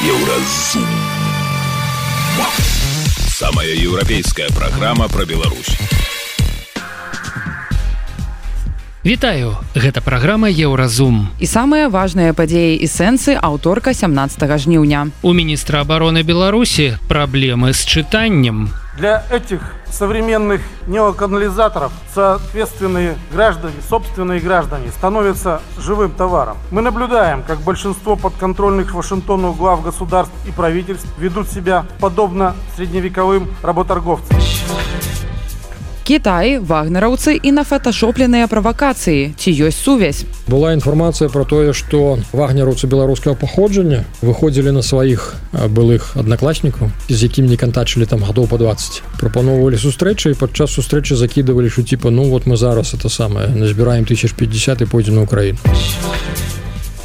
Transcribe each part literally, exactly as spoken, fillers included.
Еўразум. Самая еўрапейская праграма пра Беларусь. Вітаю, гэта праграма Еўразум. І самыя важныя падзеі і сэнсы аўторка сямнадцатага жніўня. У міністра обороны Беларусі праблемы с читанием. Для этих современных неоколонизаторов соответственные граждане, собственные граждане становятся живым товаром. Мы наблюдаем, как большинство подконтрольных Вашингтону глав государств и правительств ведут себя подобно средневековым работорговцам. Кітай, вагнераўцы і нафоташопленыя правакацыі. Ці ёсць сувязь? Была інфармацыя пра тое, што вагнераўцы беларускага паходжання выходзілі на сваіх былых аднакласнікаў, з якім не кантачылі там гадоў па дваццаць. Прапаноўвалі сустрэчы і падчас сустрэчы закідывалі, што типа, ну вот мы зараз это самае, назбіраем тысяч пятьдесят і пойдзем на Украіну.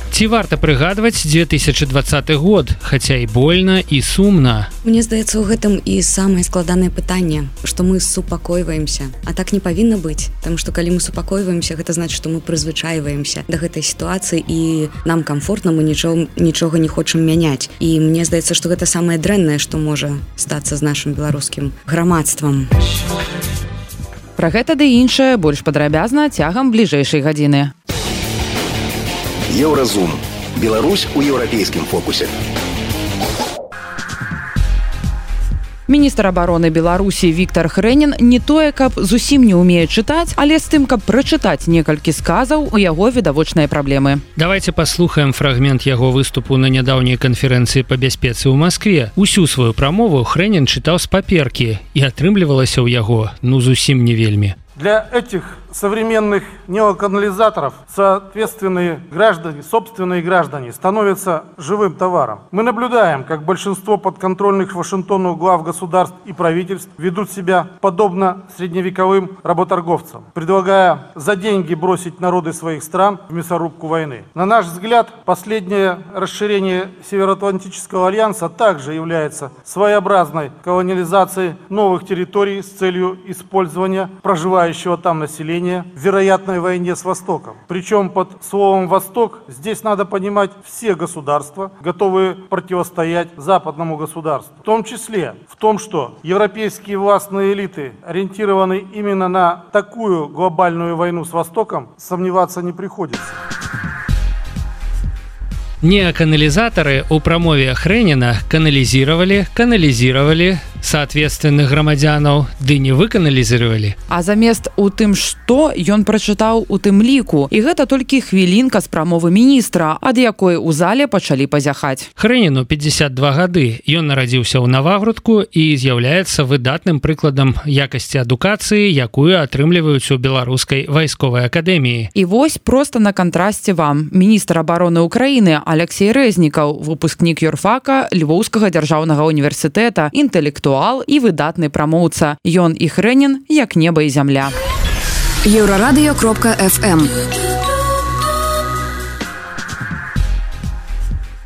Ці варта прыгадваць две тысячи двадцаты год, хаця і больна, і сумна. Мне здаецца, у гэтым і самае складанае пытанне, што мы супакойваемся. А так не павінна быць, таму што калі мы супакойваемся, гэта значыць, што мы прызвычайваемся да гэтай сітуацыі і нам камфортна, мы нічога, нічога не хочам мяняць. І мне здаецца, што гэта самае дрэннае, што можа стацца з нашым беларускім грамадствам. Пра гэта ды іншае больш падрабязна цягам бліжэйшай гадзіны. Еўразум. Беларусь у еўрапейскім фокусе. Міністр обороны Беларусі Віктор Хрэнін не тое, каб зусім не ўмее чытаць, але з тым, каб прачытаць некалькі сказаў, у яго відавочныя праблемы. Давайте паслухаем фрагмент яго выступу на нядаўняй канферэнцыі па бяспецы ў Маскве. Усю сваю прамову Хрэнін чытаў з паперкі, і атрымлівалася ў яго, ну, зусім не вельмі. Для этих современных неоколонизаторов соответственные граждане, собственные граждане становятся живым товаром. Мы наблюдаем, как большинство подконтрольных Вашингтону глав государств и правительств ведут себя подобно средневековым работорговцам, предлагая за деньги бросить народы своих стран в мясорубку войны. На наш взгляд, последнее расширение Североатлантического альянса также является своеобразной колониализацией новых территорий с целью использования проживающего там населения в вероятной войне с Востоком. Причем под словом «Восток» здесь надо понимать все государства, готовые противостоять западному государству. В том числе в том, что европейские властные элиты ориентированы именно на такую глобальную войну с Востоком, сомневаться не приходится. Неоканализаторы у прамове Хрэніна каналізировали, каналізировали соответственных грамадзянаў, ды не выканалізировали. А замест у тым, што ён прачытаў у тым ліку. І гэта толькі хвілінка з прамовы міністра, ад якой у зале пачалі пазяхаць. Хрэніну пятьдесят два гады. Ён нарадзіўся ў Навагрудку і з'яўляецца выдатным прыкладам якасці адукацыі, якую атрымліваюць у беларускай вайсковай акадэміі. І вось проста на кантрасце вам. Міністр абароны Украіны Алексей Рэзнікаў, выпускнік юрфака Львоўскага дзяржаўнага універсітэта, інтэлектуал і выдатны прамоўца. Ён і Хрэнін як неба і зямля. Еўрарадыё кропка эф эм.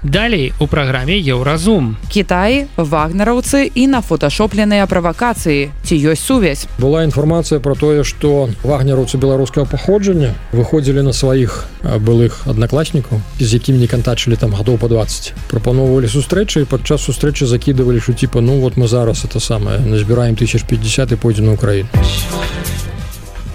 Далей у праграме Еўразум. Кітай, вагнераўцы і нафоташопленыя правакацыі. Ці ёсць сувязь? Была інфармацыя пра тое, што вагнераўцы беларускага паходжання выходзілі на сваіх былых аднакласнікаў, з якім не кантачылі там гадоў па дваццаць. Прапаноўвалі сустрэчы і падчас сустрэчы закідывалі, што типа, ну вот мы зараз это самае, назбіраем тысяч пятьдесят і пойдзем на Украіну.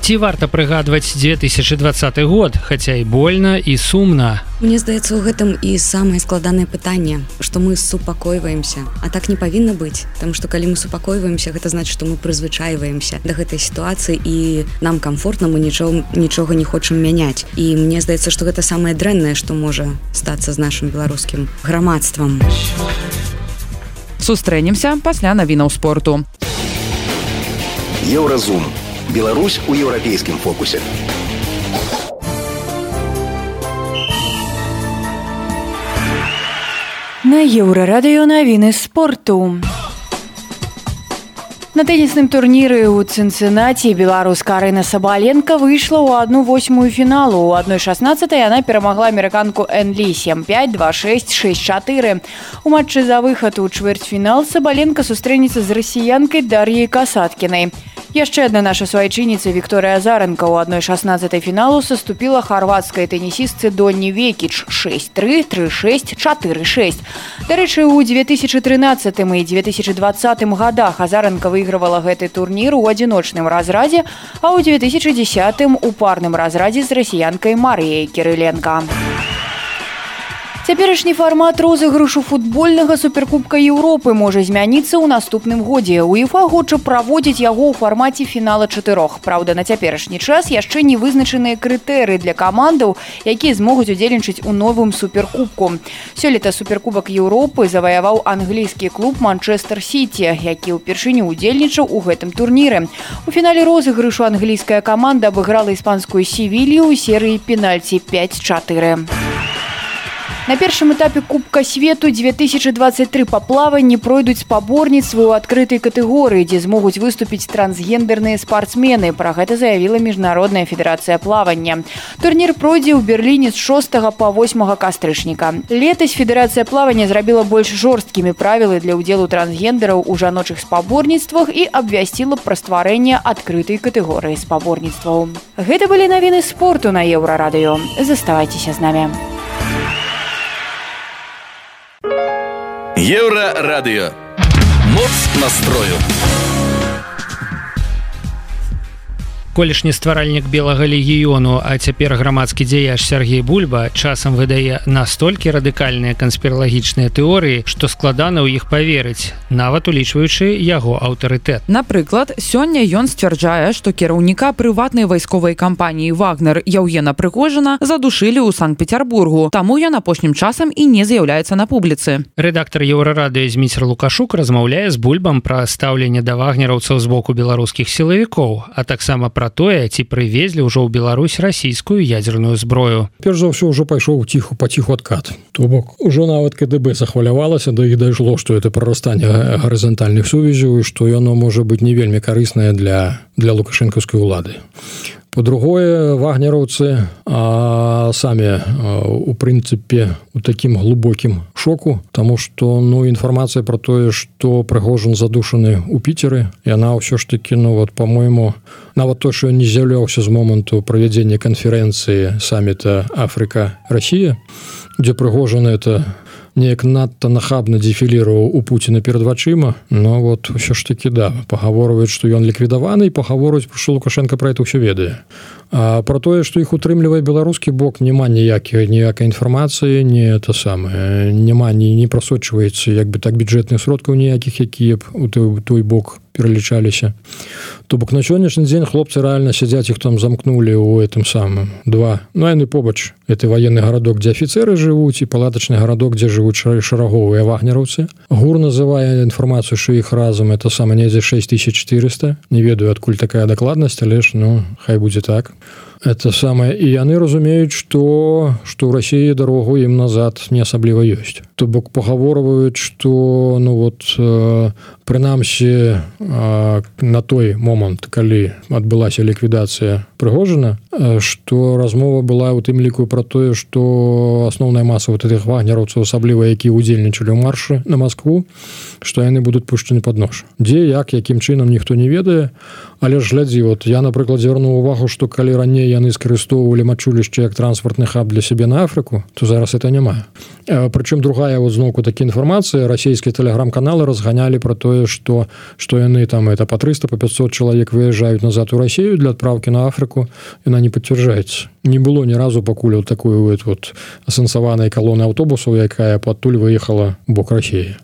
Ці варта прыгадваць две тысячи двадцаты год, хаця і больна, і сумна. Мне здаецца, у гэтым і самае складанае пытанне, што мы супакойваемся. А так не павінна быць, таму што калі мы супакойваемся, гэта значыць, што мы прызвычайваемся да гэтай сітуацыі і нам камфортна, мы нічога, нічога не хочам мяняць. І мне здаецца, што гэта самае дрэннае, што можа стацца з нашым беларускім грамадствам. Сустрэнемся пасля навінаў спорту. Еўразум. Беларусь у еўрапейскім фокусе. На Еўрарадыё навіны спорту. На тэнісным турніры ў Цінцынаці беларуска Арына Сабаленка выйшла ў адну восьмую фіналу. У адной шаснаццатай яна перамагла амерыканку Энлі сем пять, два шесть, шесть чатыры. У матчы за выхад у чвэрцьфінал Сабаленка сустрэнецца з расіянкай Дар'яй Касаткінай. Яшчэ одна наша свайчынніца Вікторыя Азаренко ў адной шаснаццатай фіналу саступіла харвацкай тэнісістцы Донні Векіч шэсць тры, тры шэсць, чатыры шэсць. Дарэчы, у две тысячи трынаццатым і две тысячи двадцатым годах Азаренко выйгравала гэты турнір у адзіночным разрадзе, а ў две тысячи дзесятым у парным разрадзе з расіянкай Марыяй Кірыленка. Цяперашні фармат розыгрышу футбольнага суперкубка Еўропы можа змяніцца ў наступным годзе. УЕФА хоча праводзіць яго ў фармаце фінала чатырох. Праўда, на цяперашні час яшчэ не вызначаныя крытэрыі для камандаў, якія змогуць удзельнічаць у новым суперкубку. Сёлета суперкубак Еўропы заваяваў англійскі клуб Манчестер Сіці, які ўпершыню удзельнічаў у гэтым турніры. У фінале розыгрышу англійская каманда абыграла іспанскую Севілью ў серыі пенальці пяць чатыры. На першым этапе Кубка свету две тысячи двадцать три па плаванні пройдуць спаборніцтвы ў адкрытай катэгорыі, дзе змогуць выступіць трансгендерныя спартсмены. Пра гэта заявіла Міжнародная федэрацыя плавання. Турнір пройдзе ў Берліне з шостага па восьмага кастрычніка. Летась федэрацыя плавання зрабіла больш жорсткімі правілы для ўдзелу трансгендераў у жаночых спаборніцтвах і абвясціла пра стварэнне адкрытай катэгорыі спаборніцтваў. Гэта былі навіны спорту на Еўрарадыё. Заставайцеся з намі. Еўрарадыё. Моц настрою. Колішні стваральнік белага легіёну, а цяпер грамадскі дзеяч Сергей Бульба часам выдае настолькі радыкальныя канспіралагічныя тэорыі, што складана ў іх паверыць, нават улічваючы яго аўтарытэт. Напрыклад, сёння ён сцвярджае, што кіраўніка прыватнай вайсковай кампаніі «Вагнер» Яўгена Прыгожына задушылі ў Санкт-Петербургу, таму ён апошнім часам і не з'яўляецца на публіцы. Рэдактар Еўрарадыё Зміцер Лукашук размаўляе з Бульбам пра стаўленне да вагнераўцаў з боку беларускіх сілавікоў, а таксама пра тое, ці прывезлі ўжо ў Беларусь расійскую ядзерную зброю. Перш за ўсё ўжо пайшоў ціху паціху адкат. То бок ужо нават КДБ захвалявалася, да іх дайшло, што это прарастанне гарызантальных сувязяў і што яно можа быць не вельмі карыснае для, для лукашэнкаўскай улады. По-другое, вагнераўцы а, самі, а, у прынцыпе, у такім глубокім шоку, таму што ну, інфармацыя пра тое, што Прыгожин задушаны ў Піцеры, яна ўсё ж такі, ну, вот, по-мойму, нават то, што ён не з'яўляўся з моманту правядзення канферэнцыі самміта Африка-Расія, дзе Прыгожин это неяк надта нахабна дефіліраваў у Пуціна перад вачыма, но вот ўсё ж такі да, пагаворваюць, што ён ліквідаваны, і пагаворваюць, што Лукашенко пра это ўсё ведае. А пра тое, што іх утрымлівае беларускі бок, няма ніякай ніякай інфармацыі, не это самае, няма, не, не прасочваецца як бы так бюджэтных сродкаў ніякіх, якія б у той, той бок пералічаліся. То бок на сённяшні дзень хлопцы рэальна сядзяць, іх там замкнулі ў гэтым самым два. Ну, яны побач. Это военны гарадок, дзе афіцеры жывуць, і палатачны гарадок, дзе жывуць шараговыя вагнераўцы. ГУР называе інфармацыю, што іх разам это сама недзе шэсць тысяч чатырыста. Не ведаю, адкуль такая дакладнасць, але ж, ну, хай будзе так. Это самае, і яны разумеюць, што што ў Расіі дарогу ім назад не асабліва ёсць. То бок пагаворваюць, што ну вот э, прынамсі э, на той момант, калі адбылася ліквідацыя Прыгожина, э, што размова была ў тым ліку пра тое, што асноўная маса вот этих вагнераўцаў, асабліва які ўдзельнічалі ў маршы на Маскву, што яны будуць пушчаны пад нож. Дзе, як, якім чынам ніхто не ведае, але ж глядзі, вот я, напрыклад, звярнуў увагу, што калі раней яны скарыстоўвалі мачулішча як транспартны хаб для сябе на Афрыку, то зараз это няма. Прычым другая вот зноўку такі інфармацыя, расійскія тэлеграм-каналы разганялі пра тое, што што яны там это па трыста, па пятьсот чалавек выязджаюць назад у Расію для адпраўкі на Афрыку, яна не пацвярджаецца. Не было ні разу пакуль вот такой вот асэнсаванай калоны аўтобусаў, якая падтуль выехала ў бок Расіі.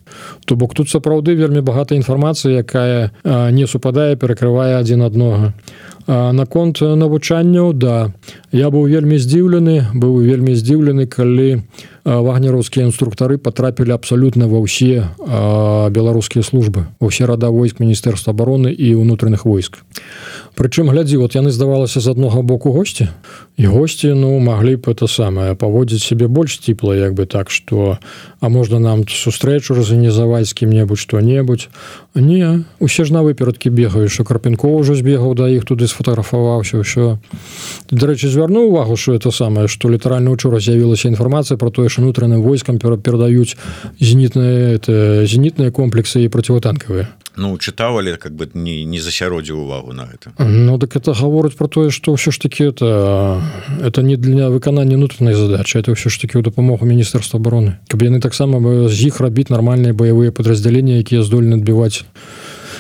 То бок тут сапраўды вельмі багата інфармацыі, якая а, не супадае, перакрывае адзін аднога. А наконт навучанняў, да, я быў вельмі здзіўлены, быў вельмі здзіўлены, калі вагнераўскія інструктары патрапілі абсалютна ва ўсе а, беларускія службы, ва ўсе рада войск Міністэрства абароны і ўнутраных войск. Прычым, глядзі, вот яны, здавалася, з аднога боку госці, і госці, ну, маглі б это самае, паводзіць сябе больш ціпла, як бы так, што, а можна нам сустрэчу разарганізаваць з кім-небудзь, што-небудзь. Не, усе ж на выперадкі бегаюць, што Карпенков ужо збегаў да іх, туды сфотаграфаваўся, ўсё. Дарэчы, звярнуў увагу, што это самае, што літаральна учора з'явілася інфармацыя пра тое, унутраным войскам перадаюць зенітныя, это, зенітныя комплексы і процівотанкавыя. ну чытаў, але как бы не, не засяродзіў увагу на гэта. Ну так это гаворыць про тое, што ўсё ж таки это это не для выканання внутреннай задачи, это ўсё ж таки ў дапамогу міністэрства обороны, каб яны таксама з іх рабіць нармальныя баявыя падраздзяленні, якія здольны адбіваць.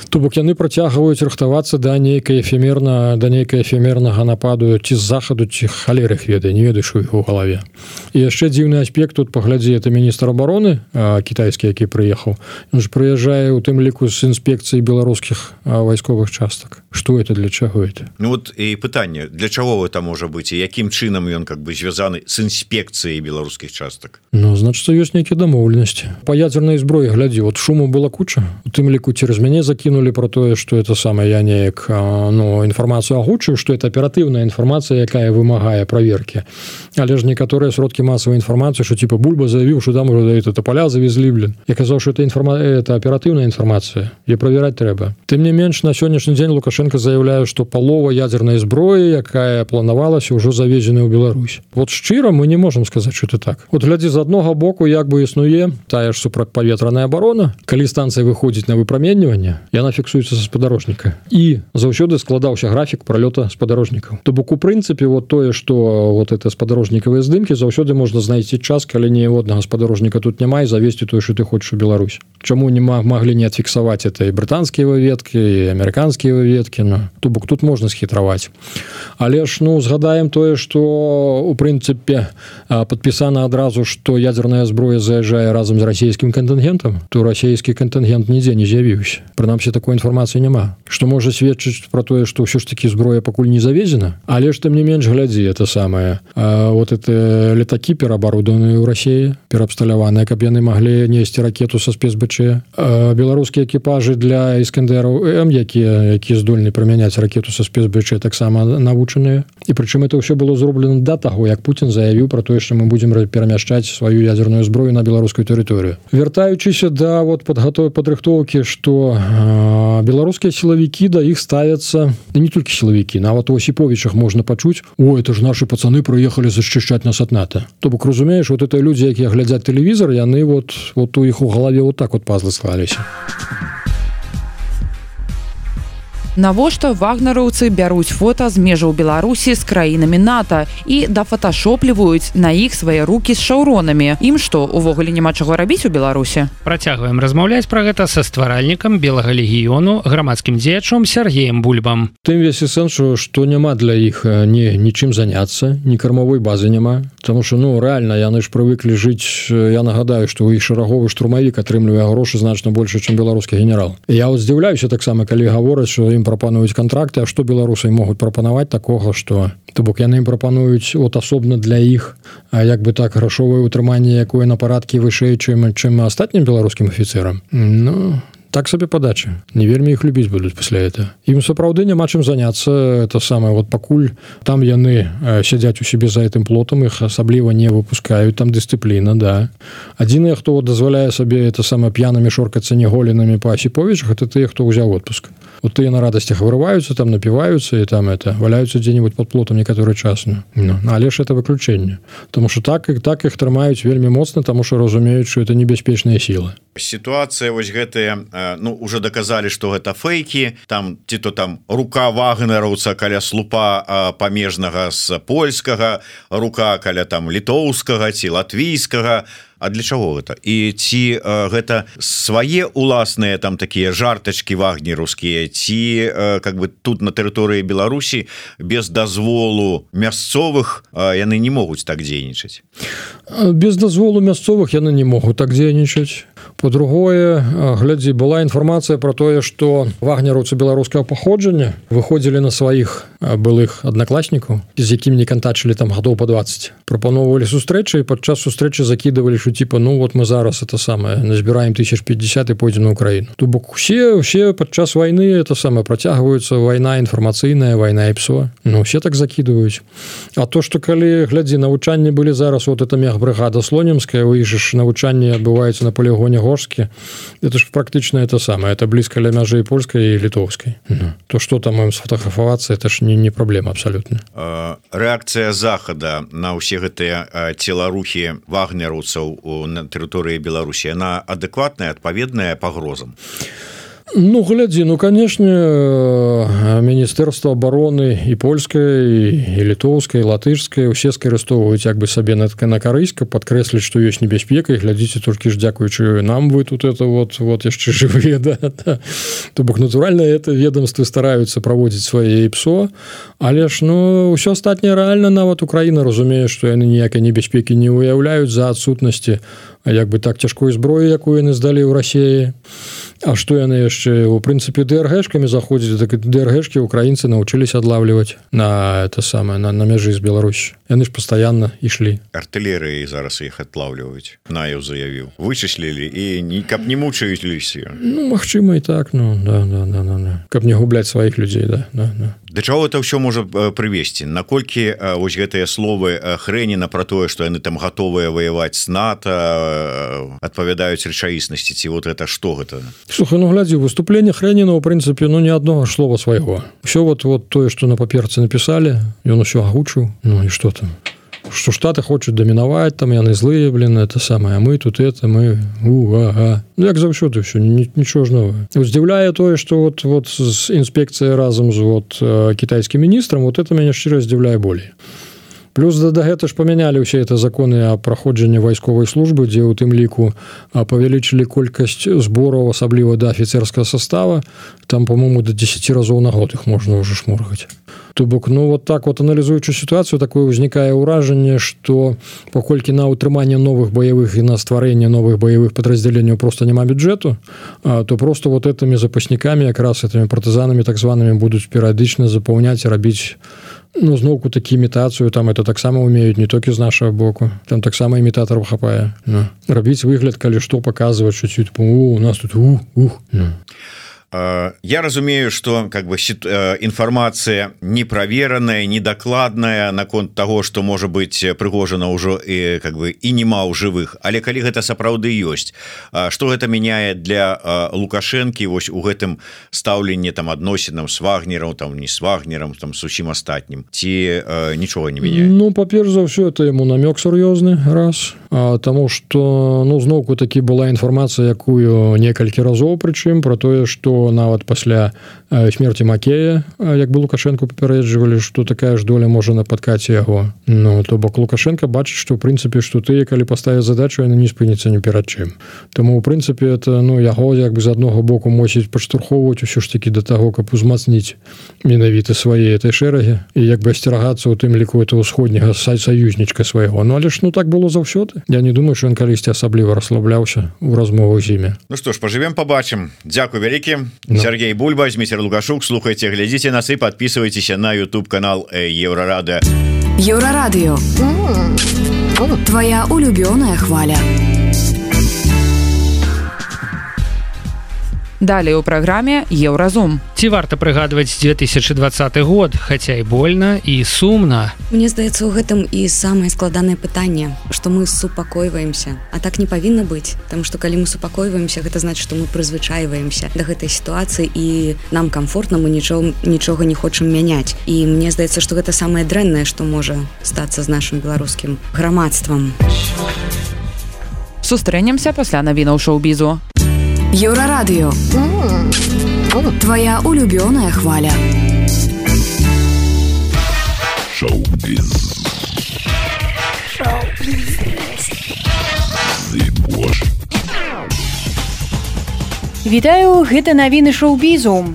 То бок яны працягваюць рыхтавацца да нейкай эфемерна да нейкай эфемернага нападу ці з захаду, ці халер іх ведае, не ведаеш у іх у галаве. І яшчэ дзіўны аспект тут, паглядзі, это міністр обороны кітайскі, які прыехаў, ён ж прыязджае у тым ліку з інспекцыі беларускіх вайсковых частак. Што это, для чаго это? Ну вот і пытанне, для чаго гэта можа быць і якім чынам ён как бы звязаны з інспекцыяй беларускіх частак? Ну значыцца ёсць нейкія дамоўленасці. Па ядзернай зброі, глядзі, вот шуму была куча, у тым ліку цераз мяне закінули про тое, что это самое, я неяк, ну, информацию агучу, что это оперативная информация, якая вымагае проверки. Але ж некоторые сродки массовой информации, что типа Бульба заявил, что там уже это поля завезли, блин. Я казал, что это, информа... это оперативная информация, и проверять треба. Тем не менш, на сегодняшний день Лукашенко заявляет, что полова ядерной зброи, якая планавалась, уже завезена в Беларусь. Вот шчыра мы не можем сказать, что это так. Вот глядзі, з аднога боку, як бы існуе тая ж супрацьпаветраная оборона, калі станция выходзіць на выпраменьванне, яна фіксуецца са спадарожніка. І заўсёды складаўся графік пролёта спадарожнікаў. То бок у прынцыпе вот тое, што вот это спадарожнікавыя здымкі, заўсёды можна знайсці час, калі ніякага спадарожніка тут няма, і завесці тое, што ты хочаш у Беларусь. Чаму не маглі не адфіксаваць это і брытанскія выведкі, і амерыканскія выведкі, ну, то бок тут можна схітраваць. Але ж, ну, згадаем тое, што у прынцыпе падпісана адразу, што ядерная зброя заязджае разам з расійскім кантынгентам, то расійскі кантынгент нідзе не з'явіўся. Прынамсі такой інфармацыі няма, што можа сведчыць пра тое, што ўсё ж такі зброя пакуль не завезена, але ж тым не менш, глядзі, это самае, а, вот это летакі пераабарудаваныя ў Расіі, пераабсталяваныя, каб яны маглі несці ракету са спецБЧ. А, беларускія экіпажы для Іскандераў М, якія якія здольны прымяняць ракету са спецБЧ, таксама навучаныя. І прычым это ўсё было зроблена да таго, як Путін заявіў пра тое, што мы будзем перамяшчаць сваю ядерную зброю на беларускую тэрыторыю. Вяртаючыся да вот падгатовы падрыхтоўкі, што а, беларускія сілавікі да іх ставяцца, не толькі сілавікі, нават у Осіповічах можна пачуць: о, это ж нашы пацаны прыехалі зачышчаць нас ад НАТО. То бок, разумееш, вот это людзі, якія глядзяць тэлевізор, яны вот, вот у іх у галаве вот так вот пазлы склаліся. Навошта вагнераўцы бяруць фота з межаў Беларусі з краінамі НАТО і дафоташопліваюць на іх свае рукі з шаўронамі? Ім што, увогуле няма чаго рабіць у Беларусі? Працягваем размаўляць пра гэта са стваральнікам белага легіёну, грамадскім дзеячом Сергеем Бульбам. Тым весь і сэнс, што няма для іх ні нічым заняцца, ні кармавой базы няма, таму што, ну, рэальна, яны ж прывыклі жыць, я нагадаю, што ў іх шараговы штурмавік атрымлівае грошы значна больш, чым беларускі генерал. Я вот здзіўляюся таксама, калі гавораць, што ім прапануюць кантракты, а што беларусы могуць прапанаваць такога, што, то бок яны ім прапануюць от асобна для іх, а як бы так, грашовае ўтрыманне, якое на парадкі вышэй, чым, чым астатнім беларускім афіцэрам. Ну, так сабе падача. Не вельмі іх любіць будуць пасля этого. Ім сапраўды няма чым заняцца, это самае, вот пакуль там яны сядзяць у сябе за гэтым плотам, іх асабліва не выпускаюць, там дысцыпліна, да. Адзіныя, хто вот дазваляе сабе это самае п'янамі шоркацца неголенымі па Осіповічах, это тыя, хто ўзяў отпуск. Вот тыя на радасцях вырываюцца, там напіваюцца і там это валяюцца дзе-нибудь под плотам некаторы час. Ну, але ж это выключэнне. Таму што так, так іх трымаюць вельмі моцна, таму што разумеюць, што это небяспечныя сілы. Сітуацыя вось гэтая, ну, уже доказалі, што гэта фейкі, там ці то там рука вагнераўца каля слупа памежнага з польскага, рука каля там літоўскага ці латвійскага. А для чаго гэта? І ці э, гэта свае уласныя там такія жартачкі вагнераўскія, ці э, как бы тут на тэрыторыі Беларусі без дазволу мясцовых э, яны не могуць так дзейнічаць? Без дазволу мясцовых яны не могуць так дзейнічаць. По-другое, глядзі, была інфармацыя пра тое, што вагнераўцы беларускага паходжання выходзілі на сваіх былых аднакласнікаў, з якімі не кантачылі там гадоў па дваццаць. Прапаноўвалі сустрэчы, і падчас сустрэчы закідывалі, што типа, ну вот мы зараз это самое назбіраем тысяч пятьдесят і пойдзем на Украіну. То бок усе, усе падчас вайны это самое працягваюцца, вайна інфармацыйная, вайна і псо. Ну, все так закідваюць. А то, што калі, глядзі, навучанні былі зараз, вот это мегбрыгада Слонімская, у іх ж навучанні адбываецца на полігоне Горскі, это ж практычна это самое, это блізка ля мяжы і польскай і літоўскай. Ну, то, што там ім сфотаграфавацца, это ж не, не праблема абсалютна. Рэакцыя Захада на ўсе гэтыя целарухі вагнераўцаў на тэрыторыі Беларусі, яна адэкватная, адпаведная пагрозам? Ну, глядзі, ну, канешне, Міністэрства абароны і польскай, і літоўскай, і латышскай усе скарыстоўваюць як бы сабе на, на карысць, каб падкрэсліць, што ёсць небяспека, і глядзіце, толькі ж дзякуючы нам вы тут это вот, вот яшчэ жывыя, да, да. То бок, натуральна, это ведомствы стараюцца праводзіць свае ІПСО, але ж, ну, ўсё астатняе рэальна, нават Украіна разумее, што яны ніякай небяспекі не уяўляюць за адсутнасці як бы так цяжкой зброі, якую яны здалі ў Расіі. А што яны яшчэ, у прынцыпе, ДРГшкамі заходзілі, так і ДРГшкі украінцы навучыліся адлавліваць на это самае, на, на мяжы з Беларусі. Яны ж пастаянна ішлі. Артылерыі зараз іх адлавліваюць. Наев заявіў. Вычыслілі і не, каб не мучаюць. Ну, магчыма, і так, ну, да, да, да, да, да. Каб не губляць сваіх людзей, да, да, да. Да чаго это ўсё можа прывесці? Наколькі вось гэтыя словы Хрэніна пра тое, што яны там гатовыя ваяваць з НАТО, адпавядаюць рэчаіснасці, ці вот это што гэта? Слухай, ну глядзі, выступленне Хрэніна, у прынцыпе, ну, ні аднога слова свайго. Усё вот, вот тое, што на паперцы напісалі, ён усё агучыў, ну і што там? Што Штаты хочуць дамінаваць, там яны злыя, блин, это самае, а мы тут это, мы, у, ага. Ну, як заўсёды ўсё, нічого ж новае. Здзіўляе тое, што вот, вот з інспекцыяй разам з вот, кітайскім міністрам, вот это мяне шчыра здзіўляе болей. Плюс да, да гэта ж памянялі ўсе это законы о праходжанні вайсковай службы, дзе ў тым ліку павялічылі колькасць збораў, асабліва да афіцерскага состава, там, по-моему, до десяти разоў на год іх можна ўжо шморгаць. То бок, ну, вот так вот, аналізуючы сітуацыю, такое ўзнікае ўражанне, што паколькі на ўтрыманне новых баявых і на стварэнне новых баявых падраздзяленняў просто няма бюджэту, то просто вот этими запаснікамі, якраз этими партызанамі так званымі будуць перыядычна запаўняць і рабіць, ну, зноўку такі імітацыю, там это таксама умеюць не толькі з нашага боку, там таксама імітатараў хапае. Ну. Рабіць выгляд, калі што паказваць, што типа, у, у нас тут ух, ух. Ну. Я разумею, что как бы информация непроверенная, недокладная наконт того, что может быть Пригожина уже и как бы и нема ў жывых, але калі гэта сапраўды ёсць, что гэта мяняе для Лукашэнкі вось у гэтым стаўленні там адносінам с Вагнером, там не с Вагнером, там с усім астатнім, ці нічога не мяняе? Ну, па-перш за ўсё, это ему намёк сур'ёзны, раз, а, таму што, ну, зноўку такі была інфармацыя, якую некалькі разоў, прычым про тое, што нават пасля смерти Макея, як бы Лукашенко папярэджвалі, што такая ж доля можа напаткаць яго. Ну, то бок Лукашенко бачыць, што ў прынцыпе, што тыя, калі паставяць задачу, яны не спыняцца ні перад чым. Таму ў прынцыпе это, ну, яго як бы з аднаго боку мусіць падштурхоўваць усё ж такі да таго, каб узмацніць менавіта свае этой шэрагі і як бы асцерагацца ў тым ліку этого ўсходняга саюзнічка свайго. Ну, але ж, ну, так было заўсёды. Я не думаю, што ён калісьці асабліва расслабляўся ў размовах з імі. Ну што ж, пажывем, пабачым. Дзякуй вялікі. No. Сергей Бульба, Зміцер Лукашук. Слухайте, глядите нас и подписывайтесь на YouTube канал Еврорадио. Еврорадио. Твоя улюбленная хваля. Далее у праграме Еўразум. Ці варта прыгадваць две тысячи двадцаты год, хаця і больна, і сумна. Мне здаецца, у гэтым і самае складанае пытанне, што мы супакойваемся. А так не павінна быць, таму што калі мы супакойваемся, гэта значыць, што мы прызвычайваемся да гэтай сітуацыі і нам камфортна, мы нічога, нічога не хочам мяняць. І мне здаецца, што гэта самае дрэннае, што можа стацца з нашым беларускім грамадствам. Сустрэнемся пасля навінаў шоу-бізу. Еврорадио. Твоя улюбленная хваля. Шоу-біз. Шоу-біз. Вітаю, гэта навіны шоу-бізу.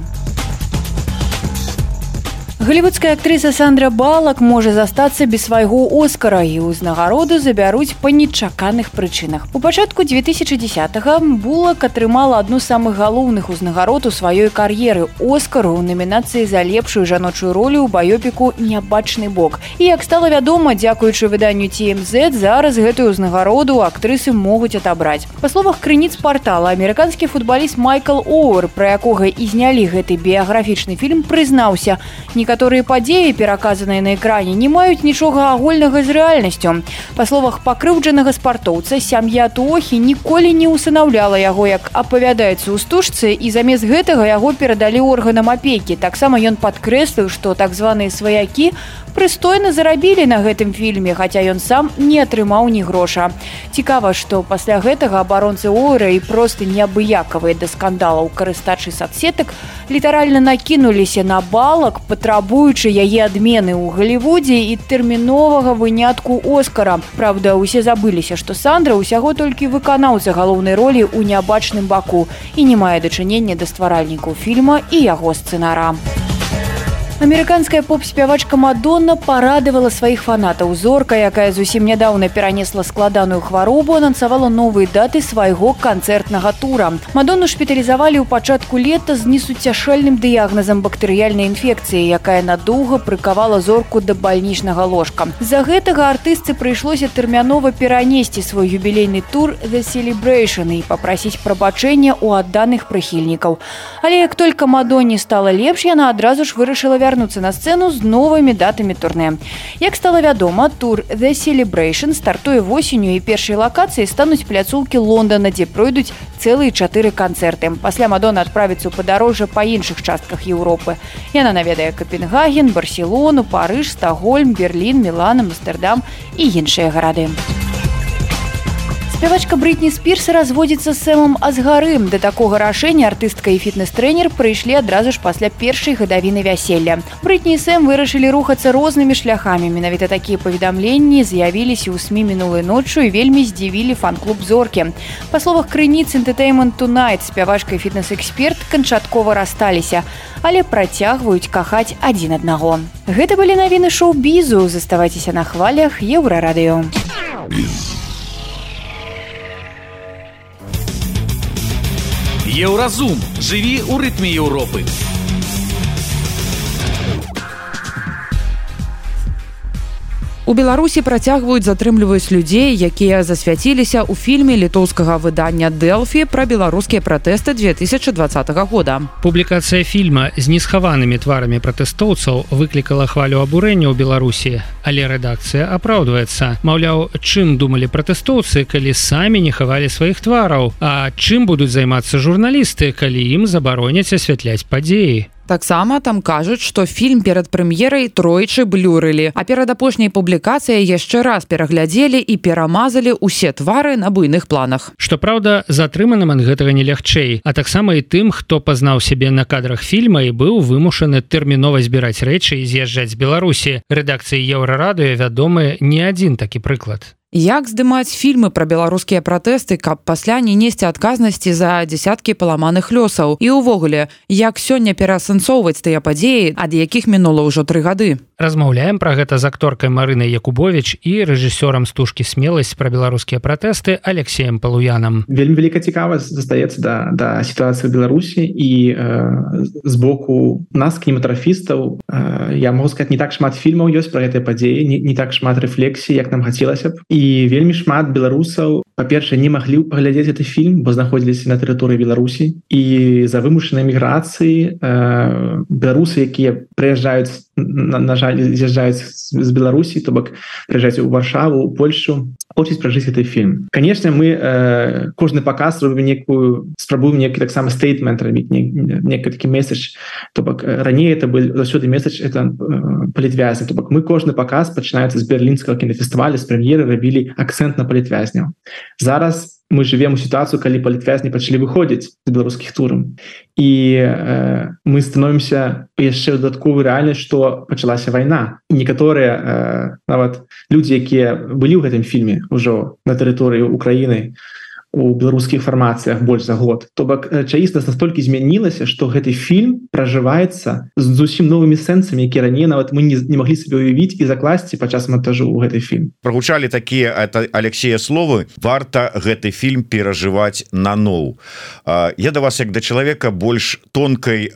Голливудская актрыса Сандра Балак можа застацца без свайго Оскара і ўзнагароду забяруць па нечаканых прычынах. У пачатку две тысячи десятого Булак атрымала адну з самых галоўных узнагарод у сваёй кар'еры – Оскару ў намінацыі за лепшую жаночую ролю ў баёпіку «Нябачны бок». І, як стала вядома, дзякуючы выданню Ти Эм Зет, зараз гэтую ўзнагароду актрысы могуць атабраць. Па словах крыніц партала, амерыканскі футбаліст Майкл Оуэр, пра якога і знялі гэты біяграфічны фільм, прызнаўся, некаторыя некаторыя падзеі, пераказаныя на экране, не маюць нічога агульнага з рэальнасцю. Па словах пакрыўджанага спартоўца, сям'я Туохі ніколі не усынаўляла яго, як апавядаецца ў стужцы, і замест гэтага яго перадалі органам апекі. Таксама ён падкрэсліў, што так званыя сваякі прыстойна зарабілі на гэтым фільме, хаця ён сам не атрымаў ні гроша. Цікава, што пасля гэтага абаронцы Ойра і проста неабыякавыя да скандалаў карыстачы соцсетак літаральна накінуліся на балак, патрабуючы яе адмены ў Галівудзе і тэрміновага вынятку Оскара. Праўда, усе забыліся, што Сандра ўсяго толькі выканаўца галоўнай ролі ў нябачным баку і не мае дачынення да стваральнікаў фільма і яго сцэнара. Амерыканская поп-спявачка Мадонна парадавала сваіх фанатаў. Зорка, якая зусім нядаўна перанесла складаную хваробу, анансавала новыя даты свайго канцэртнага тура. Мадонну шпіталізавалі ў пачатку лета з несуцяшальным дыягназам бактэрыяльнай інфекцыі, якая надоўга прыкавала зорку да бальнічнага ложка. З-за гэтага артыстцы прыйшлося тэрмянова перанесці свой юбілейны тур The Celebration і папрасіць прабачэння ў адданых прыхільнікаў. Але як толькі Мадонне стала лепш, яна адразу ж вырашыла вярнуцца на сцэну з новымі датамі турне. Як стала вядома, тур The Celebration стартуе восенню, і першай лакацыяй стануць пляцоўкі Лондона, дзе пройдуць цэлыя чатыры канцэрты. Пасля Мадонна адправіцца ў падарожжа па іншых частках Еўропы. Яна наведае Капенгаген, Барселону, Парыж, Стокгольм, Берлін, Мілан, Амстердам і іншыя гарады. Спявачка Бритні Спірс разводзіцца з Сэмом Асгарым. Да такога рашэння артыстка і фітнес-трэнер прыйшлі адразу ж пасля першай гадавіны вяселля. Бритні і Сэм вырашылі рухацца рознымі шляхамі. Менавіта такія паведамленні з'явіліся ў СМІ мінулай ноччу і вельмі здзівілі фан-клуб зоркі. Па словах крыніц Entertainment Tonight, спявачка і фітнес-эксперт канчаткова рассталіся, але працягваюць кахаць адзін аднаго. Гэта былі навіны шоу-бізу. Заставайцеся на хвалях Еўрарадыё. Еўразум. Жыві ў рытме Еўропы. У Беларусі працягваюць затрымліваць людзей, якія засвяціліся ў фільме літоўскага выдання «Дэлфі» пра беларускія пратэсты две тысячи двадцатого года. Публікацыя фільма з несхаванымі тварамі пратэстоўцаў выклікала хвалю абурэння ў Беларусі, але рэдакцыя апраўдваецца. Маўляў, чым думалі пратэстоўцы, калі самі не хавалі сваіх твараў, а чым будуць займацца журналісты, калі ім забароняць асвятляць падзеі. Таксама там кажуць, што фільм перад прэм'ерай тройчы блюрылі, а перад апошняй публікацыяй яшчэ раз пераглядзелі і перамазалі ўсе твары на буйных планах. Што праўда, затрыманым ад гэтага не лягчэй, а таксама і тым, хто пазнаў сябе на кадрах фільма і быў вымушаны тэрмінова збіраць рэчы і з'язджаць з Беларусі. Рэдакцыі Еўрарадыё вядомы не адзін такі прыклад. Як здымаць фільмы пра беларускія пратэсты, каб пасля не несці адказнасці за дзясяткі паламаных лёсаў? І ўвогуле, як сёння пераасэнсоўваць тыя падзеі, ад якіх мінула ўжо тры гады? Размаўляем пра гэта з акторкай Марынай Якубовіч і рэжысёрам стужкі «Смеласць» пра беларускія пратэсты Алексеем Палуянам. Вельмі вялікая цікавасць застаецца да, да сітуацыі ў Беларусі, і э, з боку нас, кінематографістаў, э, я могу сказаць, не так шмат фільмаў ёсць пра гэтыя падзеі, не, не так шмат рэфлексій, як нам хацелася б. І вельмі шмат беларусаў, па-першае, не маглі паглядзець гэты фільм, бо знаходзіліся на тэрыторыі Беларусі. І за вымушанай міграцыі э, беларусы, якія прыязджаюць, на, на жаль, з'язджаюць з Беларусі, то бок прыязджаюць у Варшаву, у Польшу, хочуць пражыць гэты фільм. Канешне, мы э, кожны паказ робім некую, спрабуем некі таксама стейтмент рабіць, некі такі месседж. То бок раней это был заўсёды месседж, это э, палітвязні. То бок мы кожны паказ пачынаецца з берлінскага кінафестываля, з прэм'еры рабілі акцэнт на палітвязняў. Зараз мы живем у ситуацию, калі палітвязні пачалі выходзіць з беларускіх тураў. І э, мы становімся яшчэ дадатковую рэальнасць, што пачалася вайна. І некаторыя э, нават людзі, якія былі ў гэтым фільме ўжо на тэрыторыі Украіны, у беларускіх фармацыях больш за год. То бок чаіснасць настолькі змянілася, што гэты фільм пражываецца з зусім новымі сэнсамі, якія раней нават мы не, не маглі сабе уявіць і закласці падчас монтажу ў гэты фільм. Прагучалі такія Алексея словы: варта гэты фільм перажываць наноў. Я да вас як да чалавека больш тонкай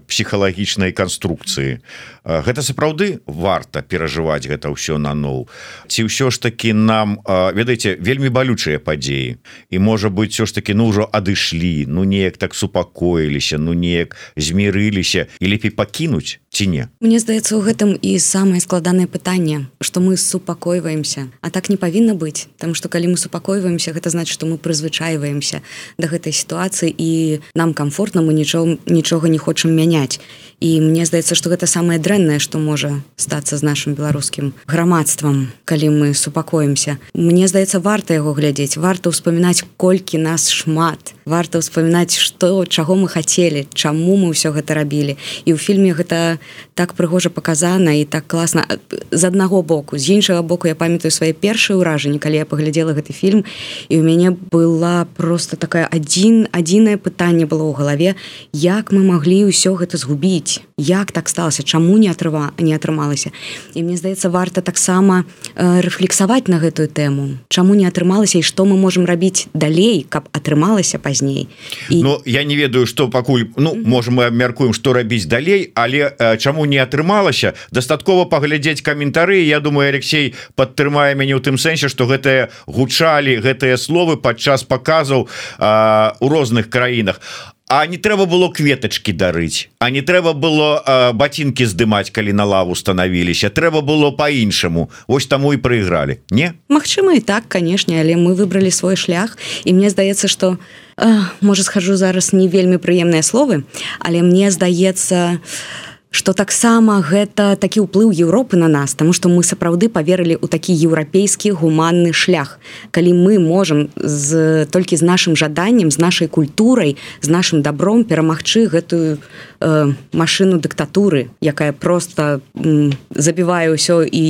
псіхалагічнай канструкцыі. Гэта сапраўды варта перажываць гэта ўсё наноў? Ці ўсё ж такі нам, ведаеце, вельмі балючыя падзеі. і можа быть все ж таки ну ўжо адышлі, ну неяк так супакоіліся, ну неяк змірыліся і лепей пакінуць ці не? Мне здаецца, у гэтым і самае складанае пытанне, што мы супакойваемся, а так не павінна быць, таму што калі мы супакойваемся, гэта значыць, што мы прызвычайваемся да гэтай сітуацыі і нам комфортна, мы нічого, нічога не хочам мяняць. І мне здаецца, што гэта самае дрэннае, што можа стацца з нашым беларускім грамадствам, калі мы супакоімся. Мне здаецца, варта яго глядзець, варта ўспамінаць, колькі нас шмат, варта ўспамінаць, што, чаго мы хацелі, чаму мы ўсё гэта рабілі. І ў фільме гэта так прыгожа паказана і так класна з аднаго боку. З іншага боку, я памятаю свае першыя ўражанні, калі я паглядзела гэты фільм, і ў мяне была просто такая адзін, адзінае пытанне было ў галаве, як мы маглі ўсё гэта згубіць. Як так сталася, чаму не атрыва, не атрымалася. І мне здаецца, варта таксама э, рэфлексаваць на гэтую тэму. Чаму не атрымалася і што мы можам рабіць далей, каб атрымалася пазней. І... Ну, я не ведаю, што пакуль, ну, можа мы абмяркуем, што рабіць далей, але э, чаму не атрымалася, дастаткова паглядзець каментары. Я думаю, Алексей падтрымае мяне ў тым сэнсе, што гэтыя гучалі, гэтыя словы падчас паказаў э, у розных краінах. А не трэба было кветачкі дарыць, а не трэба было э, бацінкі здымаць, калі на лаву станавіліся, трэба было по-іншаму. Вось таму і прайгралі, не? Магчыма і так, канешне, але мы выбралі свой шлях, і мне здаецца, што э, можа схожу зараз не вельмі прыемныя словы, але мне здаецца, што таксама гэта такі ўплыў Еўропы на нас, таму што мы сапраўды паверылі ў такі еўрапейскі гуманны шлях. Калі мы можам з, толькі з нашым жаданнем, з нашай культурай, з нашым добром перамагчы гэтую э, машыну дыктатуры, якая проста м, забівае ўсё і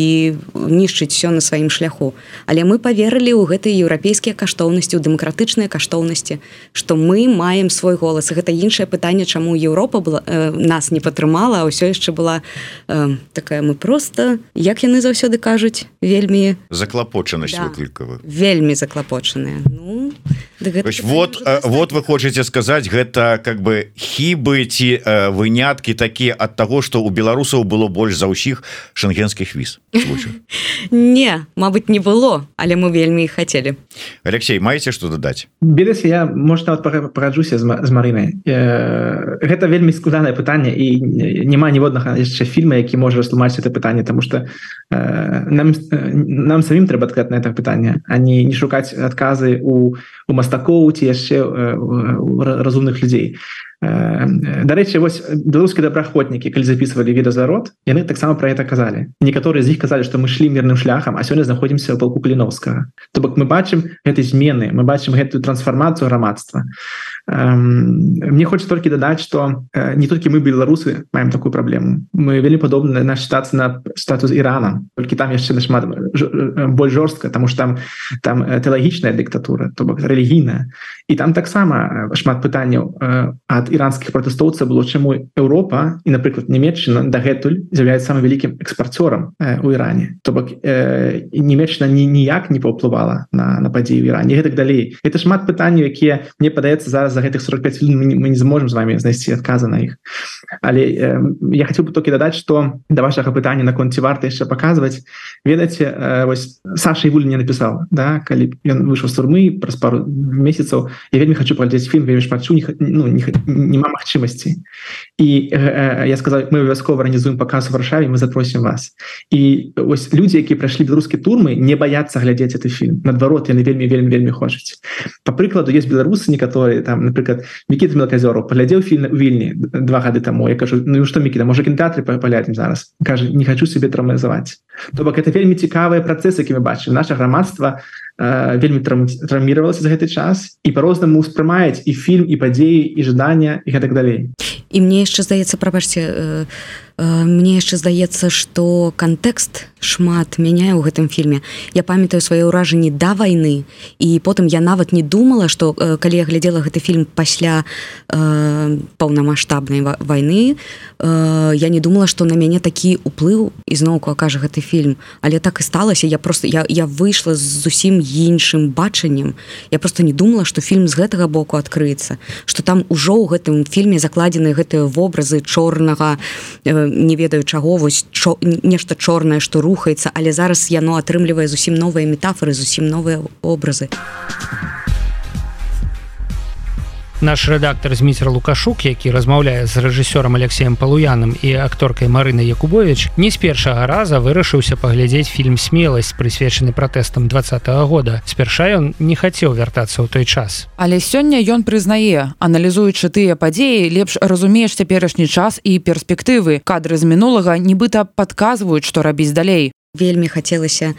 нішчыць ўсё на сваім шляху. Але мы паверылі ў гэтыя еўрапейскія каштоўнасці, ў дэмакратычныя каштоўнасці, што мы маем свой голас. І гэта іншае пытанне, чаму Еўропа была, э, нас не падтрымала, а ўсё яшчэ была э, такая, мы проста, як яны заўсёды кажуць, вельмі... Заклапочанасць да, выклікавая. Вельмі заклапочаныя. Ну, Ось, вот, э, вот вы хочаце сказаць, гэта как бы хібы ці э, выняткі такія ад таго, што у беларусаў было больш за ўсіх шэнгенскіх віз. Не, мабыць, не было, але мы вельмі іх хацелі. Алексей, маеце што дадаць? Бедас, я, можа, нават параджуся з, з Марынай. Э, гэта вельмі складанае пытанне, і няма ніводнага яшчэ фільма, які можа растлумачыць гэта пытанне, таму што э, нам, нам самім трэба адказаць на гэта пытанне, а не, не шукаць адказы у, у мастакоў ці яшчэ э, у разумных людзей. Дарэчы, вось беларускія добраахвотнікі, калі записывалі відэазарод, яны таксама пра гэта казалі. Некаторыя з іх казалі, што мы шлі мірным шляхам, а сёння знаходзімся ў палку Каліновскага. То бок мы бачым гэтай змены, мы бачым гэтую трансфармацыю грамадства. Мне хочется толькі дадаць, што не толькі мы беларусы маем такую праблему. Мы вельмі падобна на сітуацыю на статус Ірана, толькі там яшчэ нашмат больш жорстка, таму што там там тэалагічная дыктатура, то бок рэлігійная. І там таксама шмат пытанняў ад іранскіх пратэстоўцаў было, чаму Еўропа і, напрыклад, Нямецчына дагэтуль з'яўляецца самым вялікім экспарцёрам э, у Іране. То бок э, Нямецчына ні, ніяк не паўплывала на, на падзеі ў Іране. І гэтак далей. Гэта шмат пытанняў, якія, мне падаецца, зараз за гэтых сорок пять хвілін мы, мы не зможам з вами знайсці адказы на іх. Але э, я хацеў бы толькі дадаць, што да вашага пытання наконт ці варта яшчэ паказваць, ведаеце, э, вось Саша Івулін не напісаў, да, калі ён выйшаў з турмы праз пару месяцаў, я вельмі хачу паглядзець фільм, вельмі шмат чу, не, ну, не, няма магчымасці. І э, я сказаў, мы абавязкова арганізуем паказ у Варшаве, мы запросім вас. І ось людзі, якія прайшлі беларускія турмы, не баяцца глядзець гэты фільм. Наадварот, яны вельмі вельмі вельмі хочуць. Па прыкладу, ёсць беларусы некаторыя, там, напрыклад, Мікіта Мелказёраў паглядзеў фільм у Вільні два гады таму. Я кажу, ну што, Мікіта, можа кінотэатры паглядзім зараз? Кажа, не хачу сябе траўматызаваць. То бок гэта вельмі цікавыя працэсы, які мы бачым. Наша грамадства э, вельмі траўміравалася за гэты час і па-рознаму ўспрымаюць і фільм, і падзеі, і жадання, і гэтак далей. І мне яшчэ здаецца, прабачце, э, э, мне яшчэ здаецца, што кантэкст шмат мяняе ў гэтым фільме. Я памятаю свае ўражанні да вайны, і потым я нават не думала, што э, калі я глядзела гэты фільм пасля э, паўнамаштабнай вайны, э, я не думала, што на мяне такі ўплыў ізноўку акажа гэты фільм. Але так і сталася. Я просто я, я выйшла з зусім іншым бачаннем. Я просто не думала, што фільм з гэтага боку адкрыецца, што там ужо ў гэтым фільме закладзены гэтыя вобразы чорнага, не ведаю чаго, вось чо, нешта чорнае, што рухаецца, але зараз яно атрымлівае зусім новыя метафоры, зусім новыя образы. Наш рэдактар Зміцер Лукашук, які размаўляе з рэжысёрам Алексеем Палуяным і акторкай Марынай Якубович, не з першага раза вырашыўся паглядзець фільм «Смеласць», прысвечаны пратэстам двадцатага года. Спярша ён не хацеў вяртацца ў той час. Але сёння ён прызнае, аналізуючы тыя падзеі, лепш разумееш цяперашні час і перспектывы. Кадры з мінулага нібыта падказваюць, што рабіць далей. Вельмі хацелася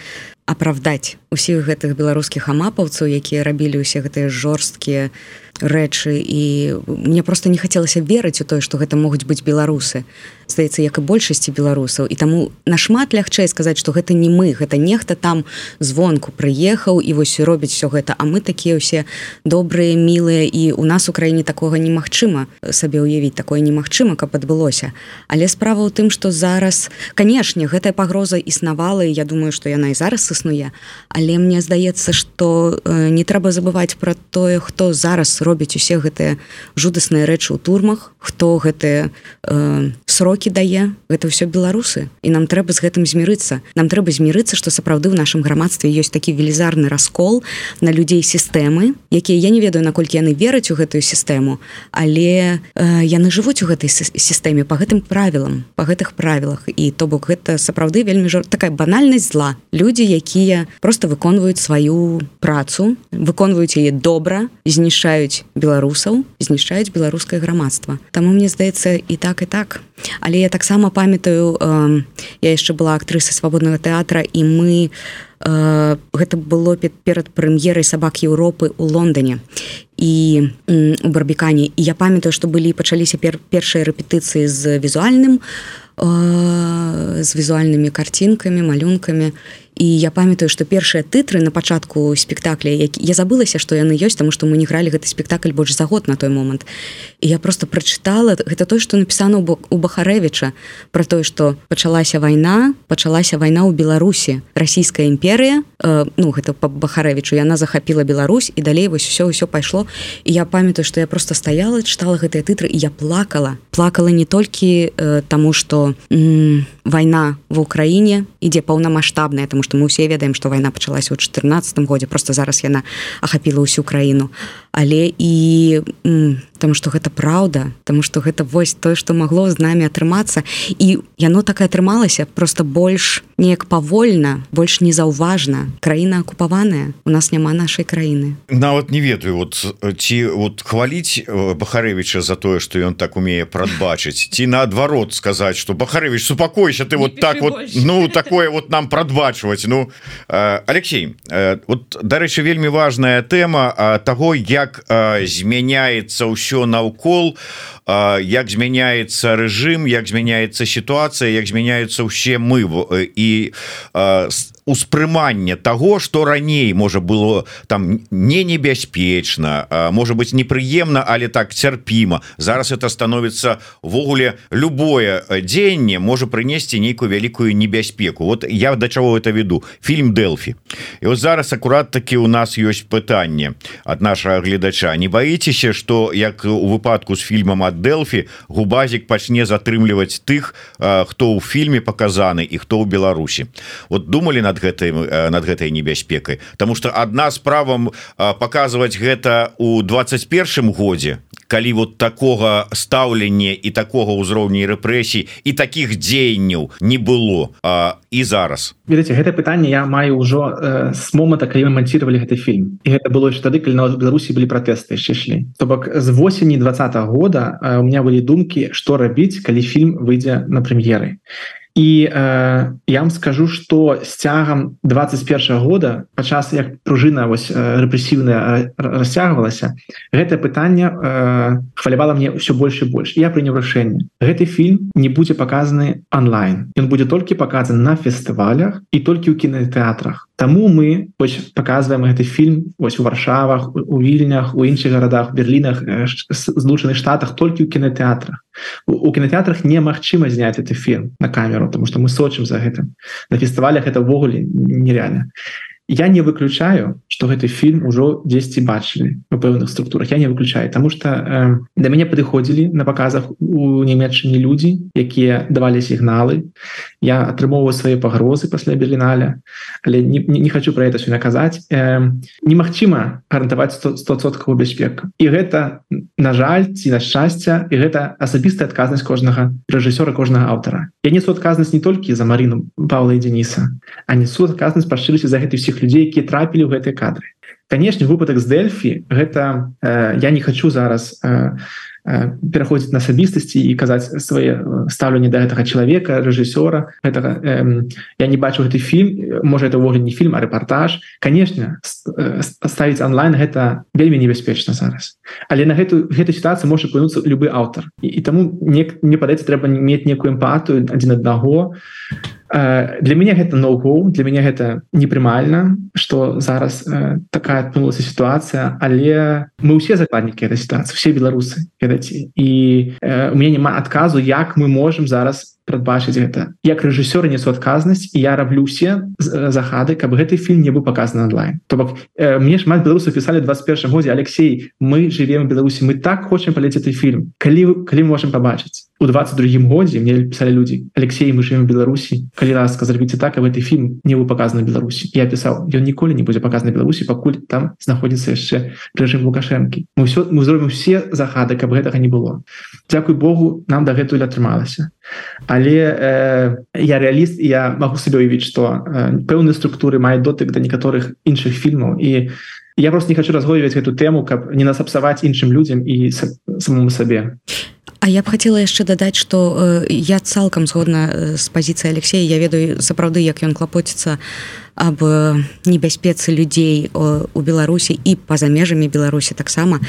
апраўдаць усіх гэтых беларускіх амапаўцаў, якія рабілі ўсе гэтыя жорсткія рэчы, і мне просто не хацелася верыць у тое, што гэта могуць быць беларусы. Здаецца, як і большасці беларусаў. І таму нашмат лягчэй сказаць, што гэта не мы, гэта нехта там звонку прыехаў і вось робіць все гэта, а мы такія ўсе добрыя, мілыя, і у нас у краіне такога немагчыма сабе ўявіць, такое немагчыма, каб адбылося. Але справа ў тым, што зараз, канешне, гэтая пагроза існавала, і я думаю, што яна і зараз існуе, але мне здаецца, што э, не трэба забываць пра тое, хто зараз робіць усе гэтыя жудасныя рэчы ў турмах, хто гэтыя э, срокі дае, гэта ўсё беларусы, і нам трэба з гэтым змірыцца. Нам трэба змірыцца, што сапраўды ў нашым грамадстве ёсць такі велізарны раскол на людзей сістэмы, якія, я не ведаю, наколькі яны вераць у гэтую сістэму, але э, яны жывуць у гэтай сістэме па гэтым правілам, па гэтых правілах, і то бок гэта сапраўды вельмі жор... такая банальнасць зла. Людзі, якія проста выконваюць сваю працу, выконваюць яе добра, знішчаюць беларусаў, знішчаюць беларускае грамадства. Таму мне здаецца і так, і так. Але я таксама памятаю, э, я яшчэ была актрысай свабоднага тэатра, і мы э, гэта было перад прэм'ерай «Сабак Еўропы» ў Лондоне і э, у Барбікане. І я памятаю, што былі пачаліся пер, першыя рэпетыцыі з візуальным, э, з візуальнымі карцінкамі, малюнкамі. І я памятаю, што першыя тытры на пачатку спектакля, які... я забылася, што яны ёсць, таму што мы не гралі гэты спектакль больш за год на той момант. І я просто прачытала, гэта тое, што напісана у Бахарэвіча, пра тое, што пачалася вайна, пачалася вайна ў Беларусі. Расійская імперыя, э, ну, гэта па Бахарэвічу, яна захапіла Беларусь, і далей вось усё, усё пайшло. І я памятаю, што я просто стаяла, чытала гэтыя тытры, і я плакала. Плакала не толькі э, таму, што м- вайна ва ўкраіне ідзе паўнамаштабная, таму што мы ўсе ведаем, што вайна пачалася ў чатырнаццатым годзе, просто зараз яна ахапіла ўсю краіну. Але і м, таму што гэта праўда, таму што гэта вось тое, што магло з намі атрымацца, і яно так і атрымалася, просто больш неяк павольна, больш незаўважна. Краіна акупаваная, у нас няма нашай краіны. Нават не ведаю, вот ці вот хваліць Бахарэвіча за тое, што ён так умее прадбачыць, ці наадварот сказаць, што Бахарэвіч, супакойся, ты вот так вот, ну такое вот нам прадбачваць. Ну, э, Алексей, э, вот дарэчы, вельмі важная тэма э, таго, як э, змяняецца ўсё наўкол, э, як змяняецца рэжым, як змяняецца сітуацыя, як змяняюцца ўсе мы э, і э, успрыманне таго, што раней можа было там не небяспечна, можа быць непрыемна, але так цярпіма. Зараз это становіцца ввогуле любое дзеянне можа прынесці нейкую вялікую небяспеку. Вот я да чаго это веду. Фільм «Дэлфі». І вот зараз акурат такі у нас ёсць пытанне ад нашага гледача. Не баіцеся, што як у выпадку з фільмам ад «Дэлфі» Губазік пачне затрымліваць тых, хто ў фільме паказаны і хто ў Беларусі. Вот думалі над гэтай, над гэтай небяспекай, потому что адна справа показывать гэта у двадцать першым годзе, калі вот такого стаўлення і такого ўзроўня рэпрэсій і таких дзеянняў не было, а, і зараз. Ведаце, гэта пытанне я маю ўжо э, з момента, калі мы манцівалі гэты фільм, і гэта было яшчэ тады, калі на Беларусі былі пратэсты яшчэ шлі. То бок з восені двадцатага года э, у меня былі думкі, што рабіць, калі фільм выйдзе на прэм'еры. І э, я вам скажу, што з цягам двадцать першага года, падчас як пружына вось рэпрэсіўная расцягвалася, гэтае пытанне э, хвалявала мне ўсё больш і больш. Я прыняў рашэнне. Гэты фільм не будзе паказаны онлайн. Ён будзе толькі паказаны на фестывалях і толькі ў кінатэатрах. Таму мы вось паказваем гэты фільм вось у Варшавах, у Вільнях, у іншых гарадах, Берлінах, Злучаных Штатах толькі ў кінатэатрах. У, у кінатэатрах немагчыма зняць гэты фільм на камеру, потому что мы сочым за гэтым. На фестывалях это ўвогуле нереально. Я не выключаю, што гэты фільм ужо дзесьці бачылі у пэўных структурах. Я не выключаю, потому что э, да мяне падыходзілі на паказах у Нямецчыне людзі, якія давалі сігналы. Я атрымоўваю свае пагрозы пасля Берліналя, але не, не, не хочу пра гэта сёння казаць. Э, немагчыма гарантаваць сто адсоткаў бяспеку. І гэта на жаль ці на шчасце, і гэта асабістая адказнасць кожнага рэжысёра, кожнага аўтара. Я несу адказнасць не толькі за Марыну, Паўла і Дзеніса, а несу адказнасць па шчырасці за гэтых усіх людзей, якія трапілі ў гэтыя кадры. Канешне, выпадак з Дэльфі гэта э, я не хочу зараз э, э, пераходзіць на асабістасці і казаць свае стаўленне да гэтага чалавека, рэжысёра. Гэтага, э, я не бачу гэты фільм, можа это ўвогуле не фільм, а рэпартаж. Канешне, э, ставіць онлайн гэта вельмі небяспечна зараз. Але на гэту гэту сітуацыю можа павінуцца любы аўтар. І, і таму мне, мне падаецца, трэба мець некую эмпатыю адзін аднаго. Для мяне гэта no-go, для мяне гэта непрымальна, што зараз э, такая адпынулася сітуацыя, але мы ўсе закладнікі этой сітуацыі, все беларусы, ведаце. І э, у мяне няма адказу, як мы можам зараз прадбачыць гэта. Як рэжысёр несу адказнасць, і я раблю ўсе захады, каб гэты фільм не быў паказаны онлайн. То бок э, мне шмат беларусаў пісалі ў двадцать першым годзе: Алексей, мы живем в Беларусі, мы так хочам палець гэты фільм. Калі, калі мы можам пабачыць? У двадцать другім годзе мне пісалі людзі: Алексей, мы живем в Беларусі, калі ласка, зрабіце так, каб гэты фільм не быў паказаны ў Беларусі. Я пісаў: ён ніколі не будзе паказаны ў Беларусі, пакуль там знаходзіцца яшчэ рэжым Лукашэнкі. Мы ўсё мы зробім усе захады, каб гэтага не было. Дзякуй Богу, нам дагэтуль атрымалася. Але э, я рэаліст, і я магу сабе уявіць, што э, пэўныя структуры маюць дотык да некаторых іншых фільмаў, і я просто не хочу разгойваць гэту тэму, каб не насапсаваць іншым людзям і самому сабе. А я б хацела яшчэ дадаць, што э, я цалкам згодна з пазіцыяй Алексея. Я ведаю сапраўды, як ён клапоціцца аб небяспецы людзей у Беларусі і па-за межамі Беларусі таксама.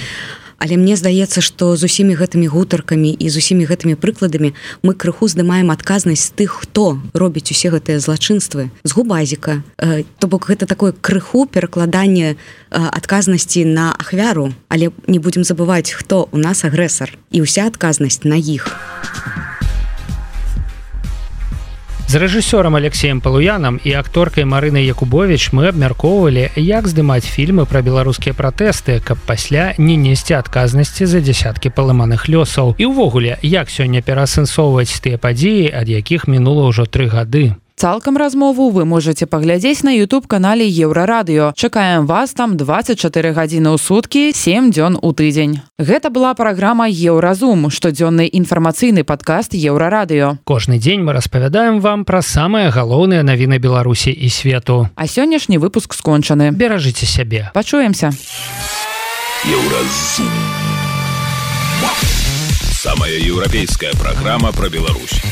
Але мне здаецца, што з усімі гэтымі гутаркамі і з усімі гэтымі прыкладамі мы крыху здымаем адказнасць тых, хто робіць усе гэтыя злачынствы з губазіка. Э, то бок гэта такое крыху перакладанне э, адказнасці на ахвяру, але не будзем забываць, хто у нас агрэсар, і ўся адказнасць на іх. З рэжысёрам Алексеем Палуянам і акторкай Марынай Якубовіч мы абмяркоўвалі, як здымаць фільмы пра беларускія пратэсты, каб пасля не несці адказнасці за дзясяткі паламаных лёсаў. І ўвогуле, як сёння пераасэнсоўваць тыя падзеі, ад якіх мінула ўжо тры гады. Цалкам размову вы можете паглядзець на YouTube-канале Еўрарадыё. Чакаем вас там двадцать чатыры гадзіны ў суткі, сем дзён у тыдзень. Гэта была праграма Еўразум, штодзённы інфармацыйны падкаст Еўрарадыё. Кожны дзень мы распавядаем вам пра самыя галоўныя навіны Беларусі і свету. А сённяшні выпуск скончаны. Беражыце сябе. Пачуемся. Еўразум. Самая еўрапейская праграма пра Беларусь.